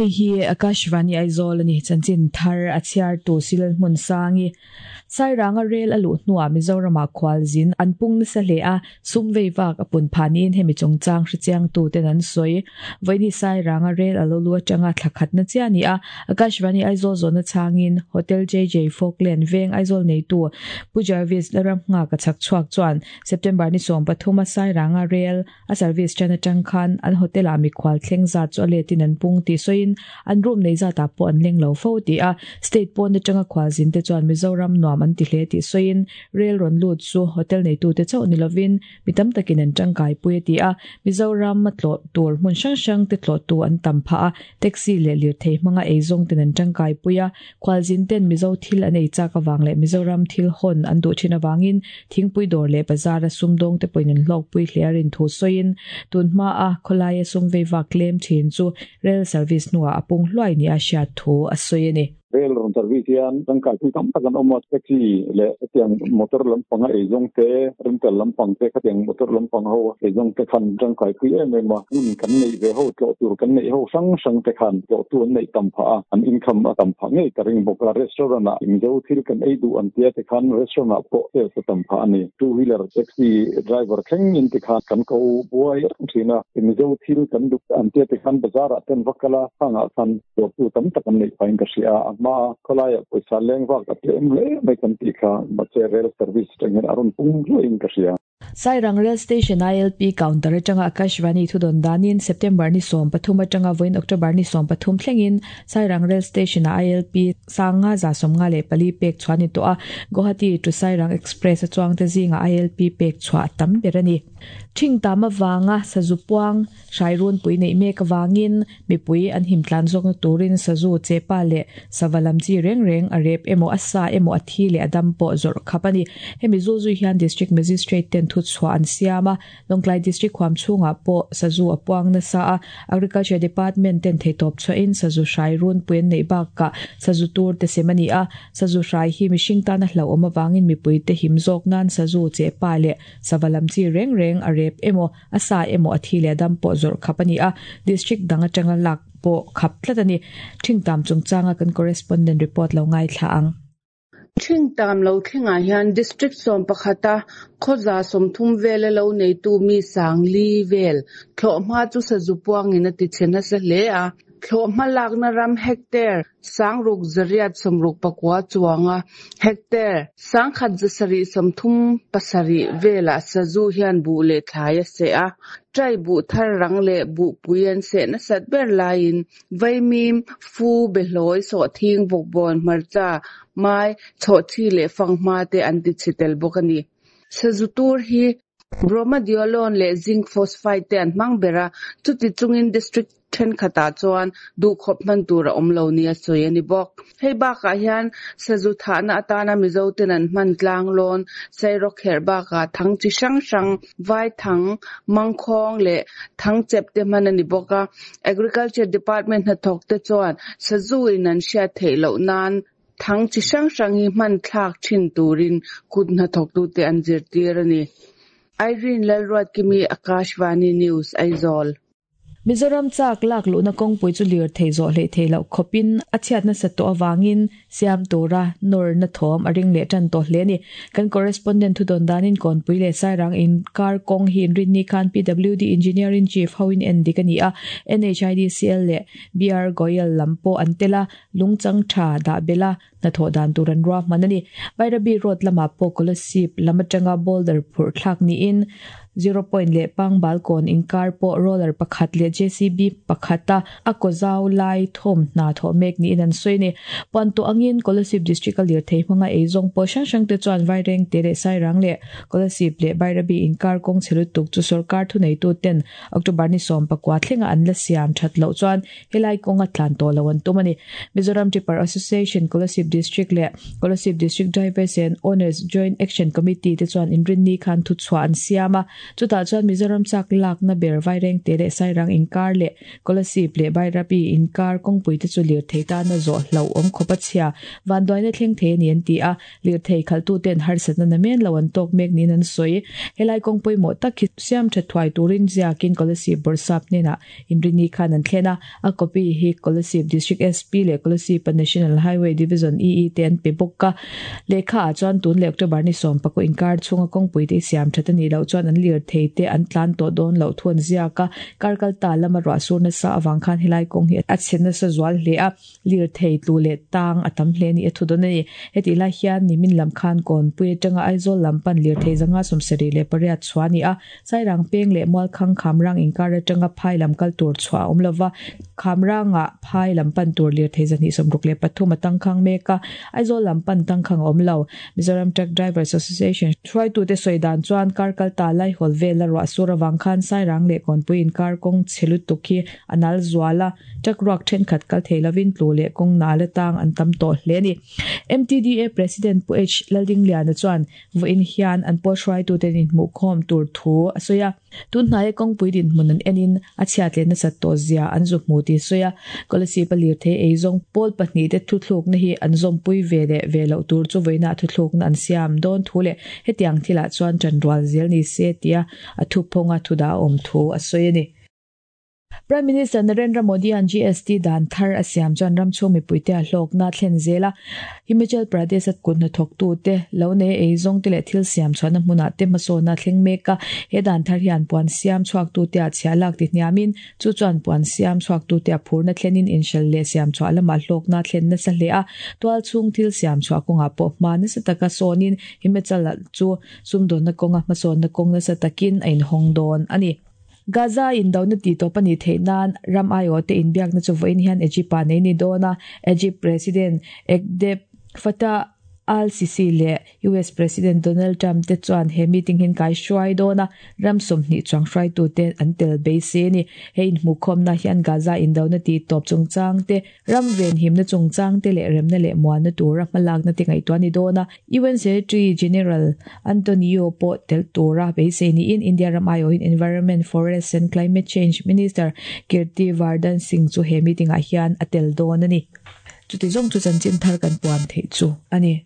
Hei hi Akashvani Aizawl a ni. Chanchin thar a chhiartu Silal Hmunsangi. Sairanga rel a luh hnuah Mizoramah khualzin an pung nasa hle a, sum vei vak a pun phah niin hemi chungchang hrechiangtu ten an sawi. Vawiini Sairanga rel a lo lu atanga thla khatna chiah a ni a, Akashvani Aizawl zawhna chhangin Hotel JJ Falkland veng Aizawl neitu Pu Jarvis Laramnghaka chhak chhuak chuan September ni 13 a Sairanga rel A service ṭan aṭang khan an hotel-ah mikhual thleng zat chu a letin an pung tih sawiin an room nei zatah pawh an leng lo fo tih a, state pawn aṭanga khualzin te chuan Mizoram nuam an ti hle tih sawiin rail rawn lut chu hotel neitute chauh ni lovin mi tam takin an ṭangkaipui a ti a, Mizoram a tlawh tur hmun hrang hrang te tlawhtu an tam phah a, taxi leh lirthei hmanga eizawng ten an ṭangkaipui a, khualzin ten Mizo thil an ei chak avang leh Mizoram thil hawn an duh ṭhin avangin Thingpui dawr leh bazara sumdawngte pawhin an hlawkpui hle a rin thu sawiin, tun hmaa khawlaia sum vei vak tlem thin chu rail service hnuah a pung hluai nia hriat thu a sawi a ni. Rail rawn service hian tangkaipui tam tak an awm a, taxi leh hetiang motor lampanga eizawng te, rental lampang te, khatiang motor lampang ho eizawng te khan tangkaipui em em a, hmun kan neih ve ho, tlawh tur kan neih ho hrang hrang te khan tlawhtu an neih tam phah a, an income a tam phah ngei ka ring bawk a, restaurant ah Mizo thil kan ei duh an tia te khan restaurant ah pawh sales a tam phah a ni. Two wheeler taxi driver thleng in ti khan kan ko buai reng thin a, Mizo thil kan duh an tia te khan bazar ah ten va kal a, khang ah khan dawrtu tam tak an neih phah in ka hria a, a hma a khawlai ah pawisa leng vak a tlem hle mai kan tih kha mahse rail service tang hian a rawn pung hluai in ka hria. Sairang Rail Station ILP counter atanga Akashvani thudawn danin September ni 13 atanga vawiin October ni 13 thlengin Sairang Rail Station-ah ILP sanga 54 pek chhuah a ni tawh a, Guwahati to Sairang Express a chuangte zingah ILP pek chhuah a tam ber a ni. Thing tam avanga sazu puang hrai runpui neih mek avangin Mipui an him tlan zawkna turin sazu, chepa leh sava lam chi reng reng a rep emaw a sa emaw a thi leh a dam pawh zawrh khap a ni. Hemi zulzui hian District Magistrate ten thuchhuah an siam a, Lawngtlai District huam chhungah pawh sazu a puang nasa a, Agriculture Department ten theihtawp chhuahin sazu hrai runpui an neih bakah sazu tur te sem a ni a, sazu hrai hi mihring tana hlauhawm avangin mipuite him zawk nan sazu, chepa leh sava lam chi reng reng a rep emaw A sa emaw a thi leh a dam pawh zawrh khap a ni a, district dang atanga lak pawh khap tlat a ni. Thingtam chungchanga kan correspondent report lo ngaithla ang. Thingtam lo thlengah hian district 11 a khawza 30 vela lo neitu mi 4000 vel thlawhhma chu sazu puangin a tichhe nasa hle a. Thlawhhma lakna ram hectare 6869 chuanga hectare 1737 velah sazu hian buh leh thlai a seh a. Ṭai buh thar rang leh buhpui an seh nasat ber laiin vaimim, fu, behlawi, sawhthing, vawkbawn, hmarcha, mai, chhawhchhi leh fanghma te an tichhe tel bawk a ni. Sazu tur hi Bromadiolone leh zinc phosphide te an hmang ber a, chuti chungin district thenkhatah chuan duhkhawp hman tur a awm lo nia sawi a ni bawk. Hei bakah hian sazu thahna atana Mizo ten an hman tlanglawn, sairawkherh bakah thang chi hrang hrang, vaithang, mangkhawng leh thangchep te hman a ni bawk a. Agriculture Department hnathawk te chuan sazu in an hriat theih loh nan Thang chi hrang hrang hi hman thlak thin turin kut hnathawktute an zirtir a ni. Irene Lalruatkimi, Akashvani News, Aizawl. Mizoram chak lak luhna kawngpui chu lirthei zawh hleih theih loh khawpin a chhiat nasat tawh avangin siam tura nawrna thawm a ring leh tan tawh hle a ni. Kan correspondent thudawn danin Kawnpui leh Sairang inkar kawng hi inrinni khan PWD Engineer-in Chief hoin en dik a ni a, NHIDCL leh BR Goyal lam pawh an tel a, Lungchang tha dah belh a, hnathawh dan tur an ruahman a ni. Bairabi Road lamah pawh Kolasib lam atanga boulder phurh thlak niin Zero Point leh Pangbal kawn inkar pawh roller pakhat leh JCB pakhata a kaw zau lai thawm hna thawh mek niin an sawi a ni. Puan tawh angin Kolasib District a lirthei hmanga eizawng pawh hrang hrang te chuan Vairengte leh Sairang leh Kolasib leh Bairabi inkar kawng chhe lutuk chu sorkar thuneitu ten October ni 19 thlenga an la siam that loh chuan Helai kawnga tlan tawh lo an tum a ni. Mizoram Tipper Association Kolasib District leh Kolasib District Drivers and Owners Joint Action Committee te chuan inrinni khan thuchhuah an siam a, chutah chuan Mizoram chak lakna ber Vairengte leh Sairang inkar leh Kolasib leh Bairabi inkar kawngpui te chu lirthei tana zawh hlauhawm khawp a chhia vanduaina thleng thei a ni an ti a, lirthei khalhtuten harsatna namen lo an tawk mek niin an sawi. Helai kawng pawimawh tak hi siam tha thuai turin ziakin Kolasib Bawrhsap hnenah Inrini khan an thlen a, a copy hi Kolasib District SP leh Kolasib-a National Highway Division EE te an pe bawk a. Lehkha ah chuan tun leh October ni sawm pakua inkar chhunga kawngpui te i siam that a nih loh chuan an lirthei te an tlan tawh dawn loh thu an ziak a. Kar kal ta lama ruah sur nasa avang khan helai kawng hi a chhe nasa zual hle a, lirthei tlu leh tang a tam hle ni a thu dawn a ni. Hetih lai hian nimin lam khan Kawnpui atanga Aizawl lam pan lirthei zanga 78 chhuah a ni a. Sairang peng leh Mualkhang Khamrang inkar atanga phai lam kal tur chhuah a awm lova, Khamrangah phai lam pan tur lirthei 263 a tangkhang mek a, Aizawl lam pan tangkhang a awm lo. Mizoram Truck Drivers Association hruaitute sawi dan chuan kar kal ta Laihawl vela ruah sur avang khan Sairang leh Kawnpui inkar kawng chhe lutuk hi a nal zual a, truck ruak thenkhat kal thei lovin tlu leh kawng nal atang an tam tawh hle a ni. MTDA President Pu H Laldingliana chuan Vawiin hian an pawl hruaituten inhmuhkhawm tur thu a sawi a. Tun hnaia kawngpui dinhmun an enin a chhiat leh nasat tawh zia an zu hmu tih a sawi a. Kolasib a lirthei eizawng pawl pahnihte thuthlukna hi an zawmpui ve leh ve loh tur chu vawiinah thuthlukna an siam dawn thu leh hetiang thilah chuan ṭanrual zel ni se tia a thuphawnga thudah a awm thu a sawi a ni. Prime Minister Narendra Modi-a'n GST dan thar a siam chuan ram chhung mipuite a hlawkna a thlen zel a. Himachal Pradesh-a kut hnathawktute, lo nei eizawngte leh thil siam chhuahna hmunah te hmasawnna a thleng mek a. He dan thar hian puan siam chhuaktute a chhiah lak ti hniamin, chu chuan puan siam chhuaktute a phurna thlenin inhralh leh siam chhuah lamah hlawkna a thlen nasa hle a. Tual chhung thil siam chhuah kawngah pawh hma nasa taka sawnin Himachal chu sumdawnna kawnga hmasawnna kawng nasa takin a inhawng dawn a ni. Gaza indona tih tawp a nih theih nan ram aiawhte inbiakna chu vawiin hian Egypt-ah nei ni dawn a, Egypt President Abdel Fattah al-Sisi leh US President Donald Trump te chuan he meeting hi an kaihruai dawn a, ram 20 chuang hruaitute an tel beisei a ni. He inhmuhkhawmna hian Gaza indona tih tawp chungchang te, ram venhimna chungchang te leh remna leh muanna tura hmalakna te ngaihtuah a ni dawn a. UN Secretary General Antonio pawh tel tura beisei niin India ram aiawhin Environment, Forests and Climate Change Minister Kirti Vardhan Singh chu he meeting ah hian a tel dawn a ni. Chuti zawng chu chanchin thar kan puan theih chu a ni.